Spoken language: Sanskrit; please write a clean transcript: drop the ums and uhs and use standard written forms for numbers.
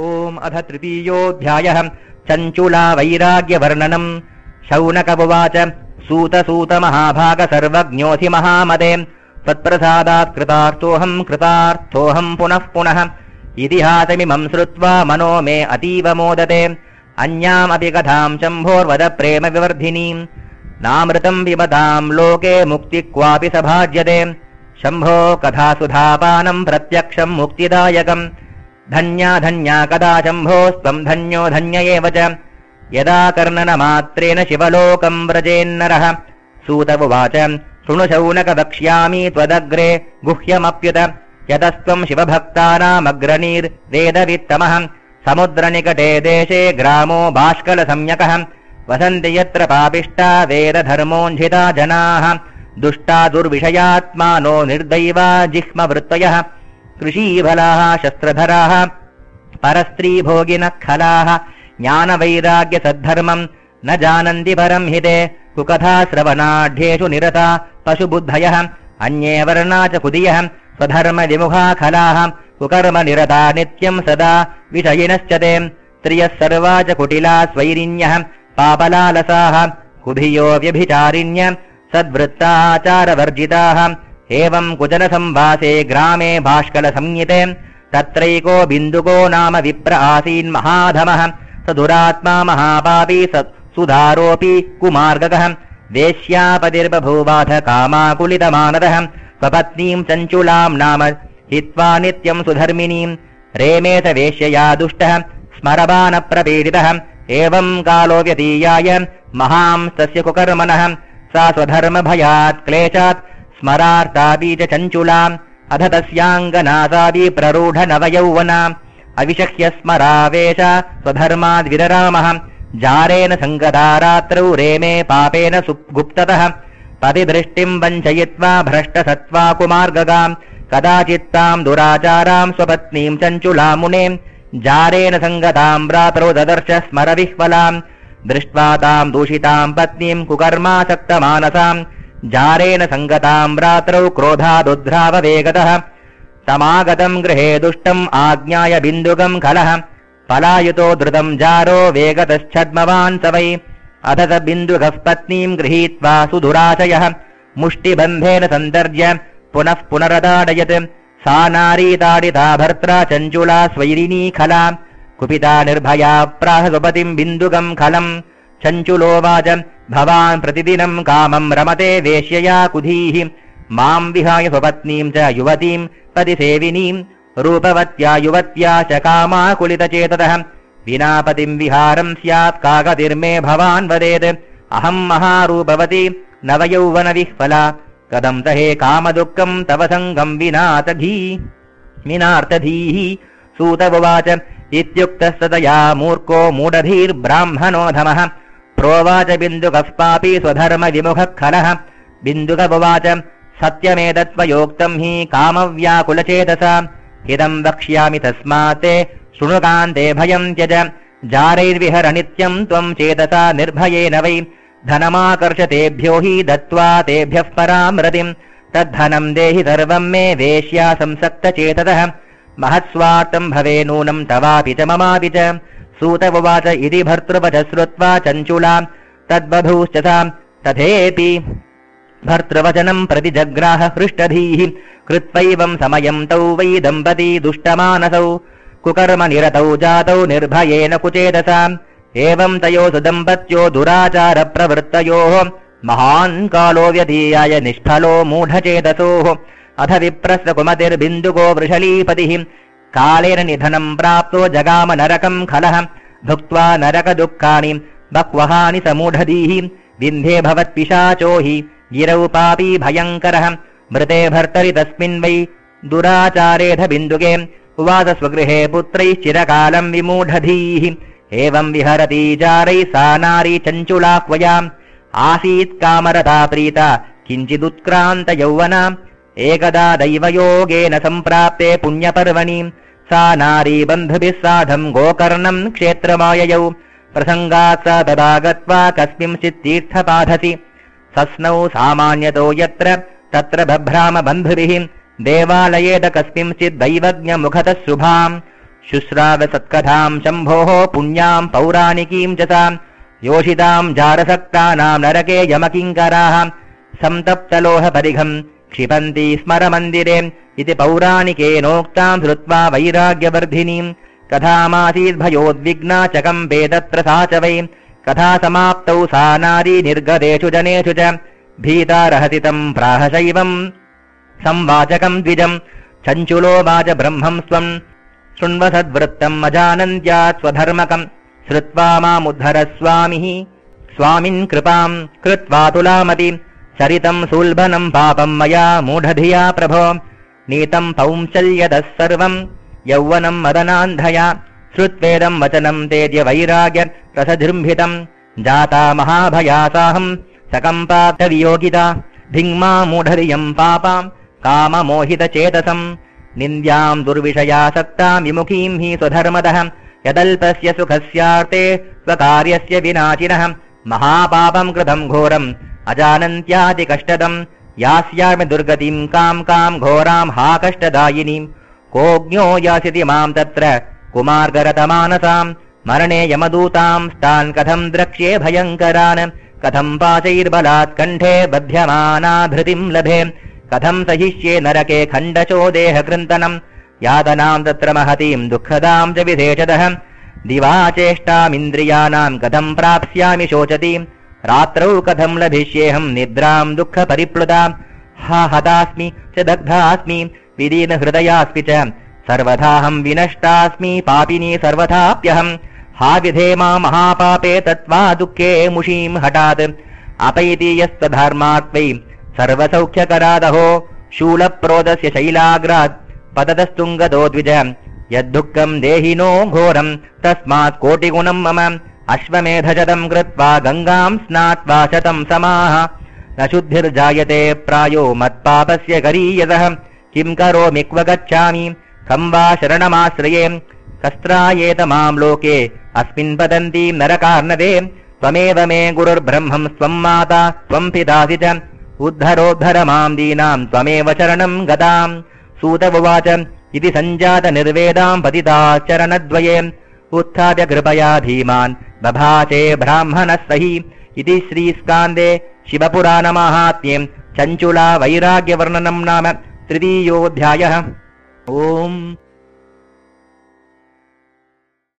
ओम अथ तृतीयोऽध्यायः चञ्चुला वैराग्यवर्णनम्। शौनक उवाच सूत सूत महाभाग सर्वज्ञोऽसि महामते त्वत्प्रसादात् कृतार्थोऽहम् पुनः पुनः इतिहासमिमम् श्रुत्वा मनो मे अतीव मोदते। अन्यामपि कथाम् शम्भोर्वद प्रेम विवर्धिनीम् नामृतम् पिबताम् लोके मुक्ति क्वापि सभाज्यते। शम्भो कथासुधापानम् प्रत्यक्षम् मुक्तिदायकम्। धन्या धन्या कदा शम्भोस्त्वम् धन्यो धन्य एव च यदा कर्णनमात्रेण शिवलोकम् व्रजेन्नरः। सूत उवाच शृणु शौनक वक्ष्यामि त्वदग्रे गुह्यमप्युत यतस्त्वम् शिवभक्तानामग्रणीर्वेदवित्तमः। समुद्रनिकटे देशे ग्रामो बाष्कलसंज्ञकः वसन्ति यत्र पापिष्टा वेदधर्मोञ्झिता जनाः। दुष्टा दुर्विषयात्मानो निर्दैवा जिह्मवृत्तयः कृषीफलाः शस्त्रधराः परस्त्रीभोगिनः खलाः। ज्ञानवैराग्यसद्धर्मम् न जानन्ति परम् हिते कुकथाश्रवणाढ्येषु निरता पशुबुद्धयः। अन्ये वर्णा च कुदियः स्वधर्मविमुखा खलाः कुकर्म निरता नित्यम् सदा विषयिनश्च ते। स्त्रियः सर्वा च कुटिला स्वैरिण्यः पापलालसाः कुधियो व्यभिचारिण्य सद्वृत्ताचारवर्जिताः। एवम् कुचलसंवासे ग्रामे भाष्कलसंज्ञिते तत्रैको बिन्दुको नाम विप्र आसीन्महाधमः। स दुरात्मा महापापी सुधारोऽपि कुमार्गकः वेश्यापतिर्बभूवाथ कामाकुलितमानदः। स्वपत्नीम् चञ्चुलाम् नाम हित्वा नित्यम् सुधर्मिणीम् रेमे स वेश्यया दुष्टः स्मरबानप्रपीडितः। एवम् कालो व्यतीयाय महांस्तस्य कुकर्मणः सा स्वधर्मभयात् क्लेशात् स्मरार्तापि च चञ्चुलाम् अथ तस्याङ्गनासापि प्ररूढ नवयौवना अविशक्य स्मरावेश स्वधर्माद्विररामः। जारेण सङ्गता रात्रौ रेमे पापेन गुप्ततः पतिदृष्टिम् वञ्चयित्वा भ्रष्टसत्त्वा कुमार्गगाम् कदाचित्ताम् दुराचाराम् स्वपत्नीम् चञ्चुलाम् मुने जारेण सङ्गताम् रात्रौ ददर्श स्मरविह्वलाम्। दृष्ट्वा ताम् दूषिताम् पत्नीम् कुकर्मासक्तमानसाम् जारेण सङ्गताम् रात्रौ क्रोधादुद्ध्राववेगतः। तमागतम् गृहे दुष्टम् आज्ञाय बिन्दुकम् खलः पलायुतो द्रुतम् जारो वेगतश्छद्मवान् स वै। अथ स बिन्दुकः पत्नीम् गृहीत्वा सुदुराशयः मुष्टिबन्धेन सन्तर्ज्य पुनः पुनरताडयत्। सा नारी ताडिता भर्त्रा चञ्चुला स्वैरिणी खला कुपिता निर्भया प्राह स्वपतिम् बिन्दुकम् खलम्। चञ्चुलोवाच भवान् प्रतिदिनम् कामम् रमते वेश्यया कुधीः माम् विहाय स्वपत्नीम् च युवतीम् पतिसेविनीम् रूपवत्या युवत्या च कामाकुलितचेततः। विना पतिम् विहारम् स्यात् कागतिर्मे भवान् वदेत्। अहम् महारूपवती नवयौवनविह्वला कथम् तहे कामदुःखम् तव सङ्गम् विनार्थधीः। सूत उवाच इत्युक्तः तया मूर्खो मूढधीर्ब्राह्मणोधमः प्रोवाच बिन्दुकः पापी स्वधर्मविमुखः खलः। बिन्दुक उवाच सत्यमेतत्त्वयोक्तम् हि कामव्याकुलचेतसा हितम् वक्ष्यामि तस्मात् शृणुकान्ते भयम् त्यज। जारैर्विहर नित्यम् त्वम् चेतसा निर्भयेन वै धनमाकर्षतेभ्यो हि दत्त्वा तेभ्यः पराम् रतिम्। तद्धनम् देहि सर्वम् मे वेश्या संसक्तचेततः महत्स्वार्थम् भवे नूनम् तवापि च ममापि च। सूत उवाच इति भर्तृवच श्रुत्वा चञ्चुला तद्बधूश्च सा तथेति भर्तृवचनम् प्रति जग्राह हृष्टधीः कृत्वैवम् समयम् तौ वै दम्पती दुष्टमानसौ कुकर्म निरतौ जातौ निर्भयेन कुचेतसा। एवम् तयोः दम्पत्यो दुराचारप्रवृत्तयोः महान् कालो व्यतीयाय निष्फलो मूढचेतसोः। अथ विप्रस्य कुमतिर्बिन्दुको वृषलीपतिः कालेन निधनम् प्राप्तो जगाम नरकम् खलः भुक्त्वा नरकदुःखानि बह्वहानि समूढधीः। विन्धे भवत्पिशाचो हि गिरौ पापी भयङ्करः मृते भर्तरि तस्मिन् वै दुराचारेध बिन्दुके उवास स्वगृहे पुत्रैश्चिरकालम् विमूढधीः। एवम् विहरती चारैः सा नारी चञ्चुलाह्वयाम् आसीत् कामरता प्रीता किञ्चिदुत्क्रान्त यौवना। एकदा दैवयोगेन सम्प्राप्ते पुण्यपर्वणि सा नारी बन्धुभिः साधम् गोकर्णम् क्षेत्रमाययौ प्रसङ्गात् सा तदा गत्वा कस्मिंश्चित् तीर्थपाधसि सस्नौ सामान्यतो यत्र तत्र बभ्राम बन्धुभिः देवालयेत कस्मिंश्चित् दैवज्ञमुखतः शुभाम् शुश्राव सत्कथाम् शम्भोः पुण्याम् पौराणिकीम् च सा योषिताम् जारसक्तानाम् नरके यमकिङ्कराः संतप्तलोहपरिघम् क्षिपन्ति स्मरमन्दिरे इति पौराणिकेनोक्ताम् श्रुत्वा वैराग्यवर्धिनीम् कथामासीद्भयोद्विग्ना चकम्पे तत्र सा च वै कथा समाप्तौ सा नारी निर्गतेषु जनेषु च भीता रहसितम् प्राहशैवम् संवाचकम् द्विजम् चञ्चुलोवाच ब्रह्मम् स्वम् शृण्वसद्वृत्तम् अजानन्त्या स्वधर्मकम् श्रुत्वा मामुद्धर स्वामिः स्वामिन् कृपाम् कृत्वा तुलामति चरितम् सुल्भनम् पापम् मया मूढधिया प्रभो नीतम् पौंसल्यदः सर्वम् यौवनम् मदनान्धया श्रुत्वेदम् वचनम् तेद्य वैराग्य रसजृम्भितम् जाता महाभयासाहम् सकम्पातवियोगिता धिङ्मा मूढधियम् पापाम् काममोहितचेतसम् निन्द्याम् दुर्विषयासक्ताम् विमुखीम् हि स्वधर्मदः यदल्पस्य सुखस्यार्थे स्वकार्यस्य विनाशिनः महापापम् कृतम् घोरम् अजानन्त्यातिकष्टदम् यास्यामि दुर्गतिम् काम् घोराम् हा कष्टदायिनीम् कोऽज्ञो यास्यति माम् तत्र कुमार्गरतमानसाम् मरणे यमदूताम् स्तान् कथम् द्रक्ष्ये भयङ्करान् कथम् पाशैर्बलात् कण्ठे बध्यमानाधृतिम् लभे कथम् सहिष्ये नरके खण्डशो देहकृन्तनम् यातनाम् तत्र महतीम् दुःखदाम् च विशेषतः दिवा चेष्टामिन्द्रियाणाम् कथम् प्राप्स्यामि शोचति रात्रौ कथम् लभिष्येऽहम् निद्राम् दुःखपरिप्लुता हा हतास्मि च दग्धास्मि विदीनहृदयास्मि च सर्वथाहम् विनष्टास्मि पापिनी सर्वथाप्यहम् हा विधेमा महापापे तत्त्वा दुःखे मुषीम् हठात् अपैति यस्तधर्मात्वै सर्वसौख्यकरादहो शूलप्रोदस्य शैलाग्रात् पततस्तुङ्गतो द्विज यद्दुःखम् देहिनो घोरम् तस्मात् कोटिगुणम् मम अश्वमेधशतम् कृत्वा गङ्गाम् स्नात्वा शतम् समाः न शुद्धिर्जायते प्रायो मत्पापस्य गरीयसः किम् करोमि क्व गच्छामि कम् वा शरणमाश्रये कस्त्रायेत माम् लोके अस्मिन् पतन्तीम् नरकार्णवे त्वमेव मे गुरुर्ब्रह्मम् स्वम् माता त्वम् पितासि च उद्धरोद्धर माम् दीनाम् त्वमेव शरणम् गताम् सूत उवाच इति सञ्जात निर्वेदाम् पतिताश्चरणद्वये उत्थाप्य कृपया धीमान् बभाषे ब्राह्मणः सहि इति श्रीस्कान्दे शिवपुराणमाहात्म्ये चञ्चुला वैराग्यवर्णनम् नाम तृतीयोऽध्यायः। ओम्।